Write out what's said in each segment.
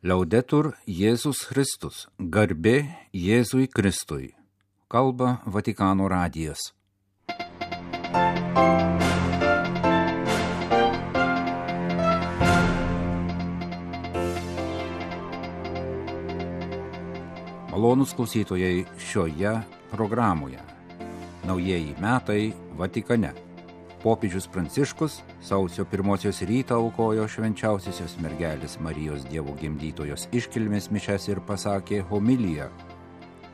Liaudetur Jėzus Kristus, garbė Jėzui Kristui, kalba Vatikano radijas. Malonūs klausytojai šioje programoje. Naujieji metai Vatikane. Popiežius Pranciškus sausio 1 rytą aukojo švenčiausiosios mergelės Marijos Dievo gimdytojos iškilmės mišias ir pasakė homiliją.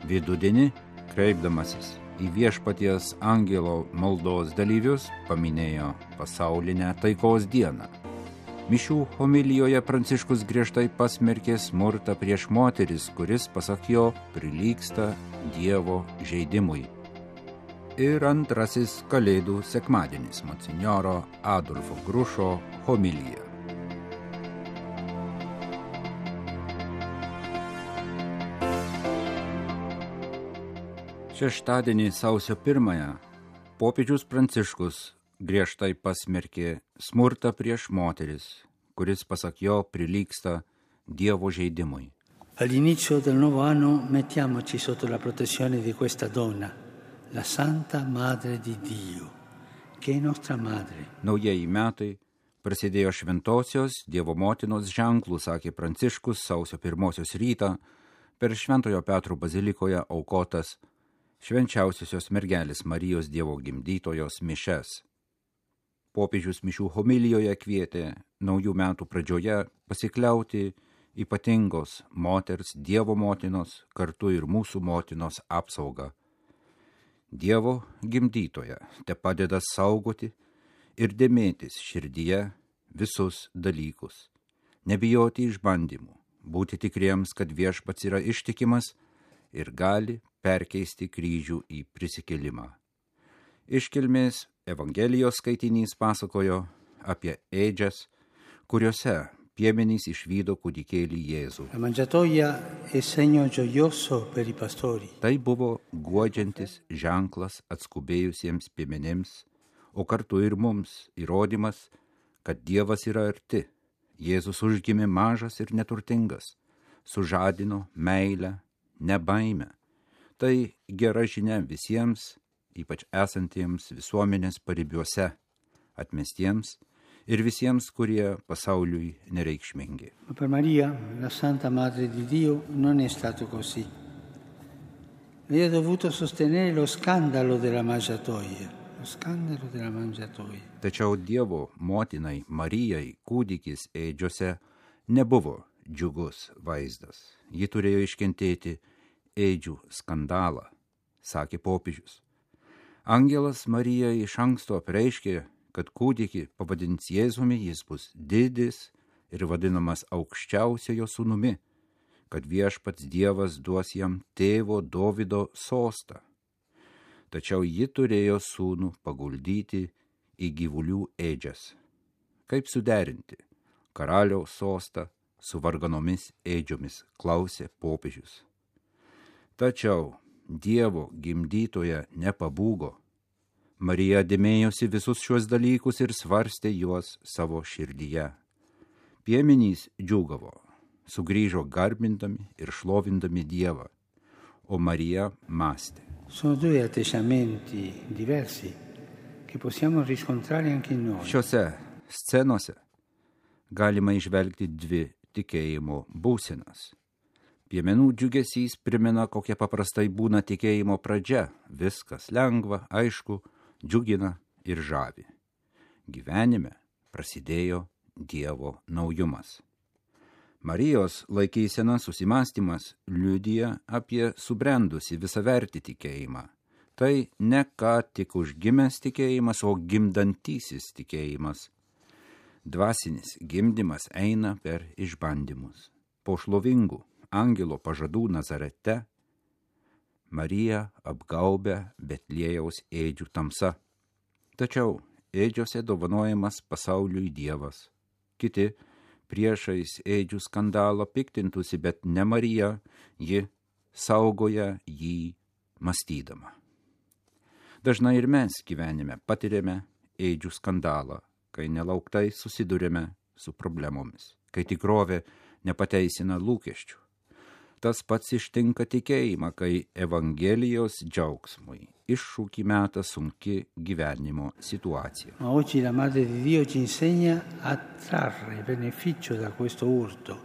Vidudienį, kreipdamasis į viešpaties angelo maldos dalyvius, paminėjo pasaulinę taikos dieną. Mišių homilijoje Pranciškus griežtai pasmerkė smurtą prieš moteris, kuris, pasak jo, prilygsta Dievo žeidimui. Ir antrasis Kalėdų sekmadienis monsinjoro Adolfo Grušo homilija. Šeštadienį sausio 1 popiežius Pranciškus griežtai pasmerkė smurtą prieš moteris, kuris, pasak jo, prilygsta Dievo žeidimui. All'inizio del nuovo anno mettiamoci sotto la protezione di questa donna, la Santa Madre di Dio, che è nostra madre. Naujieji metai prasidėjo šventosios Dievo motinos ženklų, sakė Pranciškus sausio 1 rytą per Šventojo Petro bazilikoje aukotas švenčiausiosios mergelės Marijos Dievo gimdytojos mišias. Popiežius mišių homilijoje kvietė naujų metų pradžioje pasikliauti ypatingos moters Dievo motinos, kartu ir mūsų motinos apsaugą. Dievo gimdytoja te padeda saugoti ir dėmėtis širdyje visus dalykus, nebijoti išbandymų, būti tikriems, kad viešpats yra ištikimas ir gali perkeisti kryžių į prisikėlimą. Iškilmės Evangelijos skaitinys pasakojo apie ėdžias, kuriuose piemenys išvydo kūdikėlį Jėzų. La mangiatoia è segno gioioso per i pastori. Tai buvo guodžiantis ženklas atskubėjusiems piemenims, o kartu ir mums įrodymas, kad Dievas yra arti. Jėzus užgimė mažas ir neturtingas, sužadino meilę, ne baimę. Tai gera žinia visiems, ypač esantiems visuomenės paribiuose, atmestiems ir visiems, kurie pasauliui nereikšmingi. Ma per Maria, la Santa Madre di Dio, non è stato così. Lei ha dovuto sostenere lo scandalo della mangiatoia. Tačiau Dievo motinai Marijai kūdikis ėdžiose nebuvo džiugus vaizdas. Ji turėjo iškentėti ėdžių skandalą, sakė popiežius. Angelas Marijai iš anksto apreiškė, kad kūdikį pavadins Jėzumi, jis bus didis ir vadinamas aukščiausiojo sūnumi, kad viešpats Dievas duos jam tėvo Dovydo sostą. Tačiau ji turėjo sūnų paguldyti į gyvulių ėdžias. Kaip suderinti karaliaus sostą su varganomis ėdžiomis, klausė popiežius. Tačiau Dievo gimdytoja nepabūgo. Marija dėmėjosi visus šiuos dalykus ir svarstė juos savo širdyje. Piemenys džiūgavo, sugrįžo garbindami ir šlovindami Dievą, o Marija mąstė. Sono due atteggiamenti diversi che possiamo riscontrare anche in noi. Šiose scenose galima įžvelgti dvi tikėjimo būsenas. Piemenų džiugesys primena, kokia paprastai būna tikėjimo pradžia. Viskas lengva, aišku, džiugina ir žavi. Gyvenime prasidėjo Dievo naujumas. Marijos laikysena susimąstymas liudija apie subrendusi visavertį tikėjimą. Tai ne ką tik užgimęs tikėjimas, o gimdantysis tikėjimas. Dvasinis gimdymas eina per išbandymus. Po šlovingų angelo pažadų Nazarete Marija apgaubia Betliejaus ėdžių tamsa. Tačiau ėdžiose dovanojamas pasauliui Dievas. Kiti priešais ėdžių skandalą piktintųsi, bet ne Marija, ji saugoja jį mąstydama. Dažnai ir mes gyvenime patiriame ėdžių skandalą, kai nelauktai susidurime su problemomis, kai tikrovė nepateisina lūkesčių. Tas pats ištinka tikėjimą, kai Evangelijos džiaugsmui iššūkį meta sunki gyvenimo situacija. Ma oggi la Madre di Dio ci insegna a trarre beneficio da questo urto.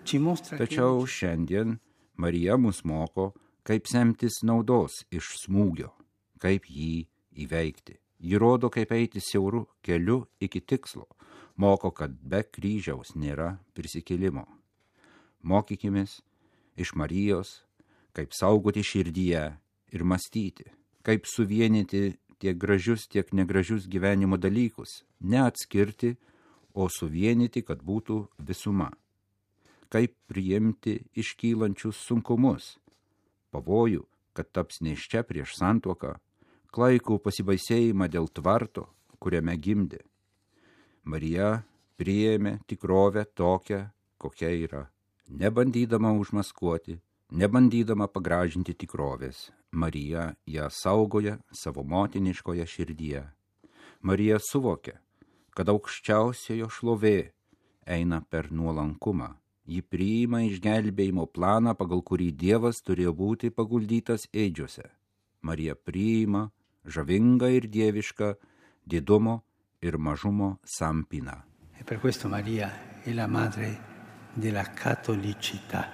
Ci mostra Tačiau šiandien Marija mus moko, kaip semtis naudos iš smūgio, kaip jį įveikti. Ji rodo, kaip eiti siauru keliu iki tikslo, moko, kad be kryžiaus nėra prisikėlimo. Mokykimės iš Marijos, kaip saugoti širdyje ir mąstyti, kaip suvienyti tiek gražius, tiek negražius gyvenimo dalykus, neatskirti, o suvienyti, kad būtų visuma. Kaip priimti iškylančius sunkumus, pavojų, kad taps nėščia prieš santuoką, klaikų pasibaisėjimą dėl tvarto, kuriame gimdė. Marija priėmė tikrovę tokią, kokia yra, nebandydama užmaskuoti, nebandydama pagražinti tikrovės. Marija ją saugoja savo motiniškoje širdyje. Marija suvokia, kad aukščiausiojo šlovė eina per nuolankumą. Ji priima išgelbėjimo planą, pagal kurį Dievas turėjo būti paguldytas ėdžiose. Marija priima žavingą ir dievišką didumo ir mažumo sampyną. E per questo Maria è la madre della cattolicità.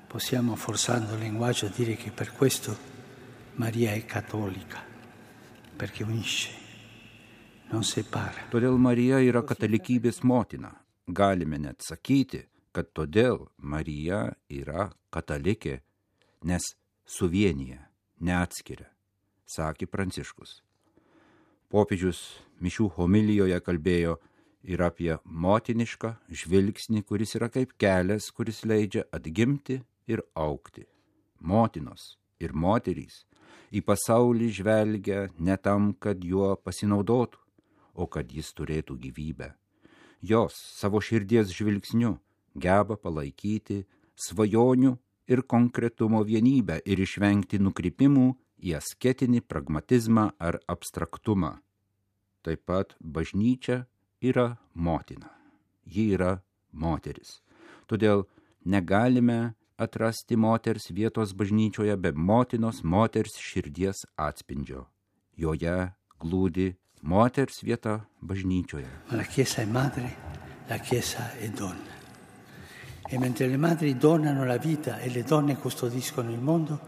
Possiamo, forzando il linguaggio, dire che per questo Maria è cattolica, perché unisce, non separa. Todėl Marija yra katalikybės motina. Galime net sakyti, kad todėl Marija yra katalikė, nes suvienyje, neatskiria, sakė Pranciškus. Popiežius mišių homilijoje kalbėjo ir apie motinišką žvilgsnį, kuris yra kaip kelias, kuris leidžia atgimti ir augti. Motinos ir moterys į pasaulį žvelgia ne tam, kad juo pasinaudotų, o kad jis turėtų gyvybę. Jos savo širdies žvilgsniu geba palaikyti svajonių ir konkretumo vienybę ir išvengti nukrypimų į asketinį pragmatizmą ar abstraktumą. Taip pat bažnyčia yra motina. Ji yra moteris. Todėl negalime atrasti moters vietos bažnyčioje be motinos moters širdies atspindžio. Joje glūdi moters vieta bažnyčioje. Ma la Chiesa è madre, la Chiesa è donna. E mentre le madri donano la vita e le donne custodiscono il mondo,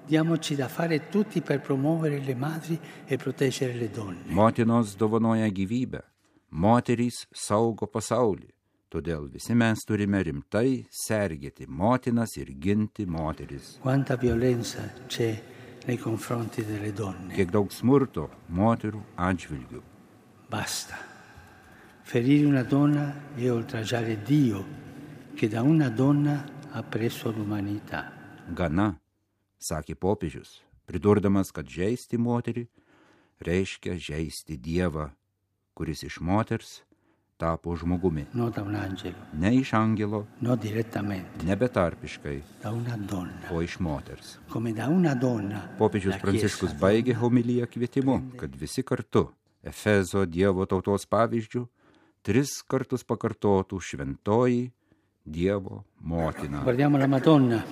diamoci da fare tutti per promuovere le madri e proteggere le donne. Motinos dovanoja gyvybę, moterys saugo pasaulį. Todėl visi mes turime rimtai sergėti motinas ir ginti moteris. Quanta violenza c'è nei confronti delle donne. Kiek daug smurto moterų atžvilgių. Basta. Ferire una donna è oltraggiare Dio, che da una donna ha preso l'umanità. Gana, sakė popiežius, pridurdamas, kad žeisti moterį reiškia žeisti Dievą, kuris iš moters tapo žmogumi. No da un angelo. Ne iš angelo, no direttamente. Ne betarpiškai, da una donna. O iš moters. Come da una donna. Popiežius Pranciškus baigė homiliją kvietimu, kad visi kartu Efezo Dievo tautos pavyzdžių 3 kartus pakartotų šventoji Dievo motina. Guardiamo la Madonna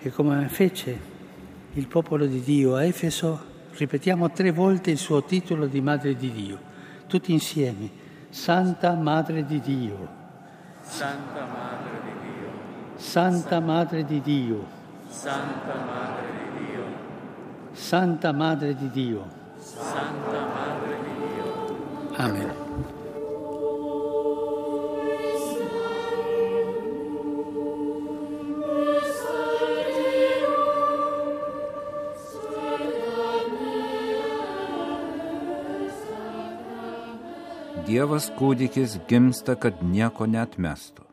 e come fece il popolo di Dio a Efeso, ripetiamo 3 volte il suo titolo di Madre di Dio, tutti insieme: Santa Madre di Dio, Santa Madre di Dio, Santa Madre di Dio, Santa Madre di Dio, Santa Madre di Dio, Santa Madre di Dio. Amen. Dievas kūdikis gimsta, kad nieko neatmestų,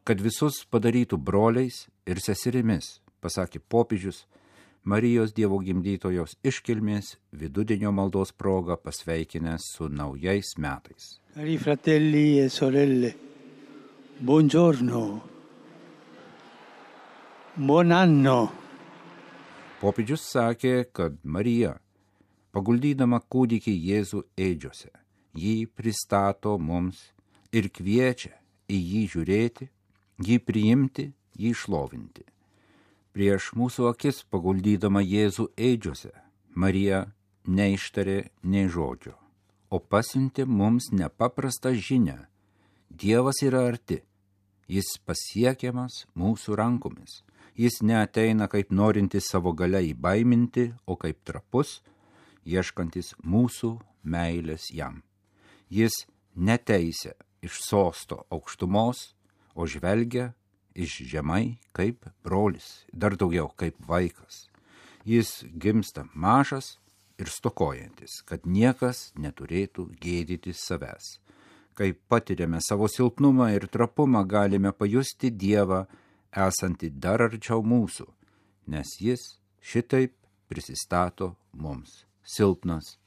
kad visus padarytų broliais ir seserimis, pasakė popiežius Marijos Dievo gimdytojos iškilmės vidudienio maldos proga pasveikinęs su naujais metais. Cari fratelli e sorelle, buongiorno, buon anno. Popiežius sakė, kad Marija, paguldydama kūdikį Jėzų ėdžiose, jį pristato mums ir kviečia į jį žiūrėti jį priimti, jį šlovinti. Prieš mūsų akis paguldydama Jėzų ėdžiose, Marija neištarė nei žodžio, o pasiuntė mums nepaprastą žinią. Dievas yra arti, jis pasiekiamas mūsų rankomis. Jis neateina kaip norintis savo galia įbaiminti, o kaip trapus, ieškantis mūsų meilės jam. Jis neteisia iš sosto aukštumos, o žvelgia iš žemai kaip brolis, dar daugiau kaip vaikas. Jis gimsta mažas ir stokojantis, kad niekas neturėtų gėdyti savęs. Kai patiriame savo silpnumą ir trapumą, galime pajusti Dievą esantį dar arčiau mūsų, nes jis šitaip prisistato mums, silpnas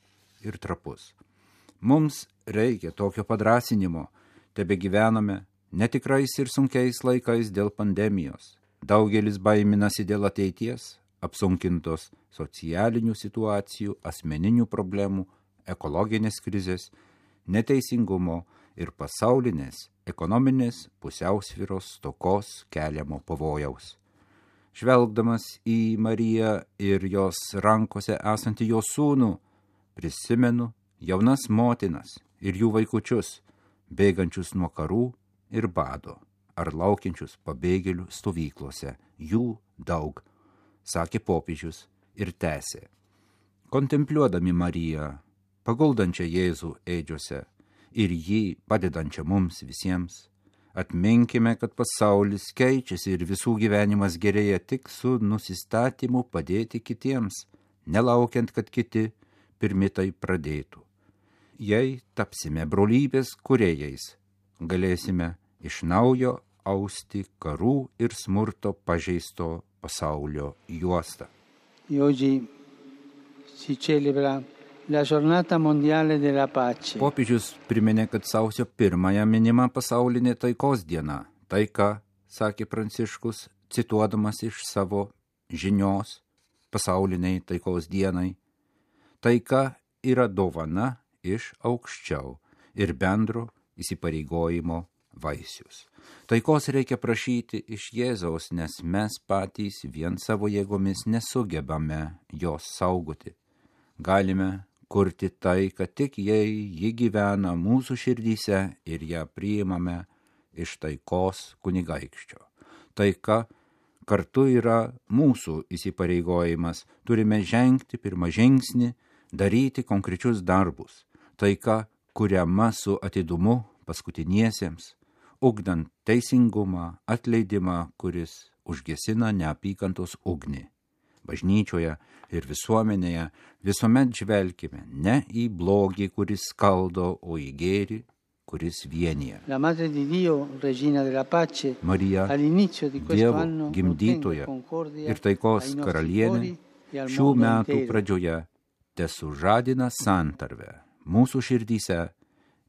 ir trapus. Mums reikia tokio padrąsinimo, tebe gyvename netikrais ir sunkiais laikais dėl pandemijos. Daugelis baiminasi dėl ateities, apsunkintos socialinių situacijų, asmeninių problemų, ekologinės krizės, neteisingumo ir pasaulinės ekonominės pusiausvyros stokos keliamo pavojaus. Žvelgdamas į Mariją ir jos rankose esantį jos sūnų, prisimenu jaunas motinas ir jų vaikučius, bėgančius nuo karų ir bado, ar laukiančius pabėgėlių stovyklose. Jų daug, sakė popiežius ir tęsė. Kontempliuodami Mariją, paguldančią Jėzų ėdžiose, ir jį padedančią mums visiems, atminkime, kad pasaulis keičiasi ir visų gyvenimas gerėja tik su nusistatymu padėti kitiems, nelaukiant, kad kiti pirmi tai pradėtų. Jei tapsime brolybės kūrėjais, galėsime iš naujo austi karų ir smurto pažeisto pasaulio juostą. Oggi si celebra la giornata mondiale della pace. Popiežius priminė, kad sausio 1 minima pasaulinė taikos diena. Taika, sakė Pranciškus, cituodamas iš savo žinios pasauliniai taikos dienai. Taika yra dovana iš aukščiau ir bendro įsipareigojimo vaisius. Taikos reikia prašyti iš Jėzaus, nes mes patys vien savo jėgomis nesugebame jos saugoti. Galime kurti taiką tik jei ji gyvena mūsų širdyse ir ją priimame iš taikos kunigaikščio. Taika kartu yra mūsų įsipareigojimas. Turime žengti pirmą žingsnį, daryti konkrečius darbus. Taika kuriama su atidumu paskutiniesiems, ugdant teisingumą, atleidimą, kuris užgesina neapykantos ugnį. Bažnyčioje ir visuomenėje visuomet žvelkime ne į blogį, kuris skaldo, o į gėrį, kuris vienija. Marija, Dievo gimdytoja ir taikos karalienė, šių metų pradžioje tesužadina santarvę mūsų širdyse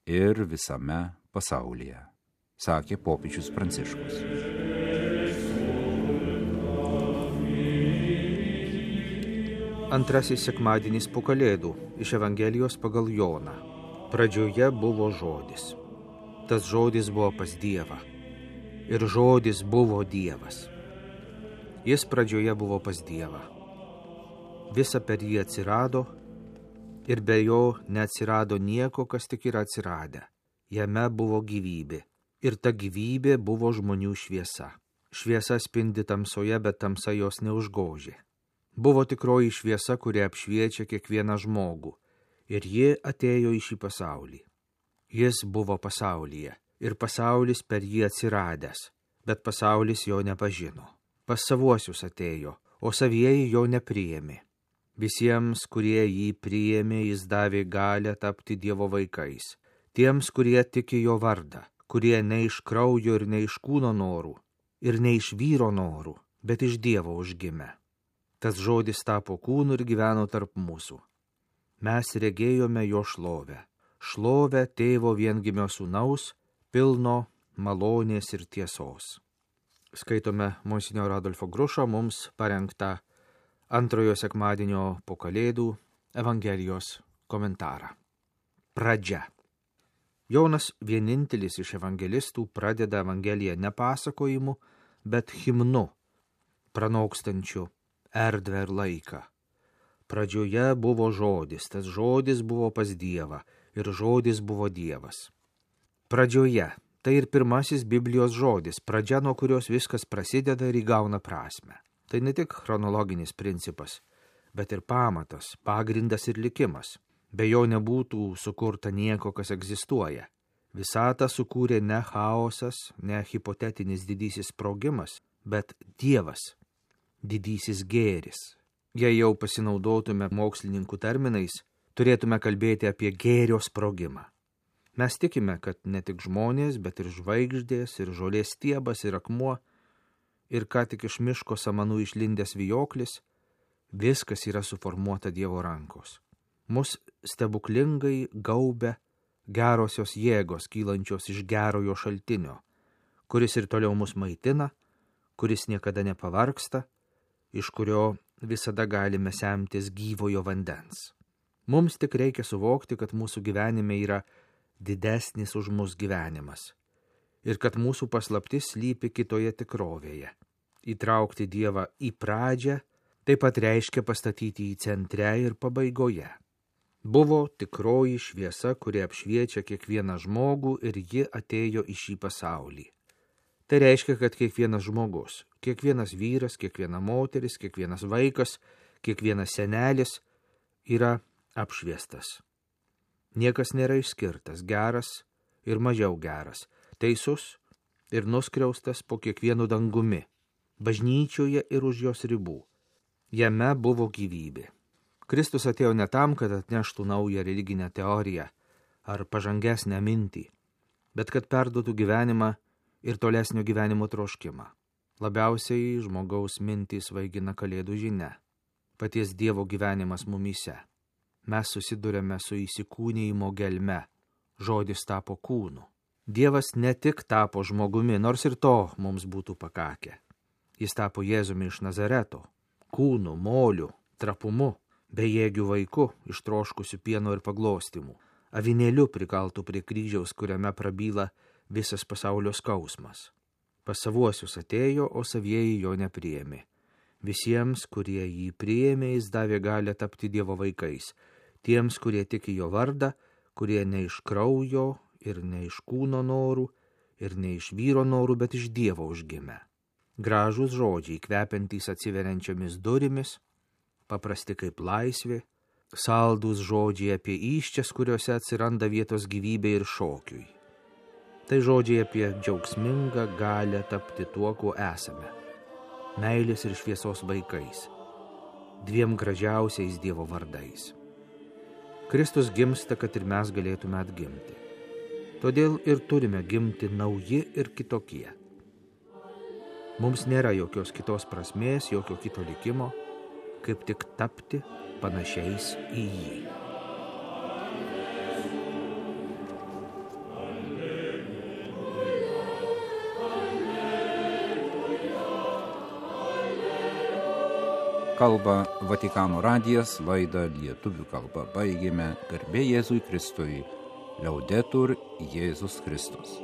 ir visame pasaulyje, sakė popiežius Pranciškus. Antrasis sekmadienis po Kalėdų iš Evangelijos pagal Joną. Pradžioje buvo žodis. Tas žodis buvo pas Dievą. Ir žodis buvo Dievas. Jis pradžioje buvo pas Dievą. Visa per jį atsirado ir be jo neatsirado nieko, kas tik yra atsiradę. Jame buvo gyvybė. Ir ta gyvybė buvo žmonių šviesa. Šviesa spindi tamsoje, bet tamsa jos neužgožė. Buvo tikroji šviesa, kuri apšviečia kiekvieną žmogų, ir ji atėjo į šį pasaulį. Jis buvo pasaulyje, ir pasaulis per jį atsiradęs, bet pasaulis jo nepažino. Pas savuosius atėjo, o savieji jo nepriėmė. Visiems, kurie jį priėmė, jis davė galią tapti Dievo vaikais. Tiems, kurie tiki jo vardą, kurie ne iš kraujo ir ne iš kūno norų, ir ne iš vyro norų, bet iš Dievo užgimė. Tas žodis tapo kūnu ir gyveno tarp mūsų. Mes regėjome jo šlovę. Šlovę tėvo viengimio sūnaus, pilno malonės ir tiesos. Skaitome monsinjoro Adolfo Grušo mums parengtą antrojo sekmadienio po Kalėdų Evangelijos komentarą. Pradžia. Jonas vienintelis iš evangelistų pradeda Evangeliją ne pasakojimu, bet himnu, pranokstančiu erdvę ir laiką. Pradžioje buvo žodis, tas žodis buvo pas Dievą ir žodis buvo Dievas. Pradžioje – tai ir pirmasis Biblijos žodis, pradžia, nuo kurios viskas prasideda ir įgauna prasmę. Tai ne tik chronologinis principas, bet ir pamatas, pagrindas ir likimas. Be jo nebūtų sukurta nieko, kas egzistuoja. Visatą sukūrė ne chaosas, ne hipotetinis didysis sprogimas, bet Dievas, didysis gėris. Jei jau pasinaudotume mokslininkų terminais, turėtume kalbėti apie gėrio sprogimą. Mes tikime, kad ne tik žmonės, bet ir žvaigždės, ir žolės stiebas, ir akmuo, ir ką tik iš miško samanų išlindęs vijoklis, viskas yra suformuota Dievo rankos. Mus stebuklingai gaubia gerosios jėgos, kylančios iš gerojo šaltinio, kuris ir toliau mus maitina, kuris niekada nepavargsta, iš kurio visada galime semtis gyvojo vandens. Mums tik reikia suvokti, kad mūsų gyvenime yra didesnis už mus gyvenimas ir kad mūsų paslaptis slypi kitoje tikrovėje. Įtraukti Dievą į pradžią taip pat reiškia pastatyti į centre ir pabaigoje. Buvo tikroji šviesa, kuri apšviečia kiekvieną žmogų ir ji atėjo į šį pasaulį. Tai reiškia, kad kiekvienas žmogus, kiekvienas vyras, kiekviena moteris, kiekvienas vaikas, kiekvienas senelis yra apšviestas. Niekas nėra išskirtas, geras ir mažiau geras, teisus ir nuskriaustas po kiekvienu dangumi, bažnyčioje ir už jos ribų. Jame buvo gyvybė. Kristus atėjo ne tam, kad atneštų naują religinę teoriją ar pažangesnę mintį, bet kad perduotų gyvenimą ir tolesnio gyvenimo troškimą. Labiausiai žmogaus mintys vaigina Kalėdų žinia. Paties Dievo gyvenimas mumyse. Mes susidurėme su įsikūnijimo gelme. Žodis tapo kūnu. Dievas ne tik tapo žmogumi, nors ir to mums būtų pakakę. Jis tapo Jėzumi iš Nazareto, kūnu, moliu, trapumu, bejėgių vaiku, ištroškusiu pieno ir paglostymų, avinėliu prikaltų prie kryžiaus, kuriame prabyla visas pasaulio skausmas. Pas savuosius atėjo, o savieji jo nepriėmė. Visiems, kurie jį priėmė, jis davė galią tapti Dievo vaikais. Tiems, kurie tiki jo vardą, kurie ne iš kraujo ir ne iš kūno norų ir ne iš vyro norų, bet iš Dievo užgimę. Gražūs žodžiai, kvepiantys atsiveriančiomis durimis, paprasti kaip laisvė, saldūs žodžiai apie įsčias, kuriuose atsiranda vietos gyvybei ir šokiui. Tai žodžiai apie džiaugsmingą galią tapti tuo, kuo esame. Meilės ir šviesos vaikais, dviem gražiausiais Dievo vardais. Kristus gimsta, kad ir mes galėtume atgimti. Todėl ir turime gimti nauji ir kitokie. Mums nėra jokios kitos prasmės, jokio kito likimo, kaip tik tapti panašiais į jį. Kalba Vatikano radijas, laidą lietuvių kalba baigėme. Garbė Jėzui Kristui. Liaudetur Jėzus Kristus.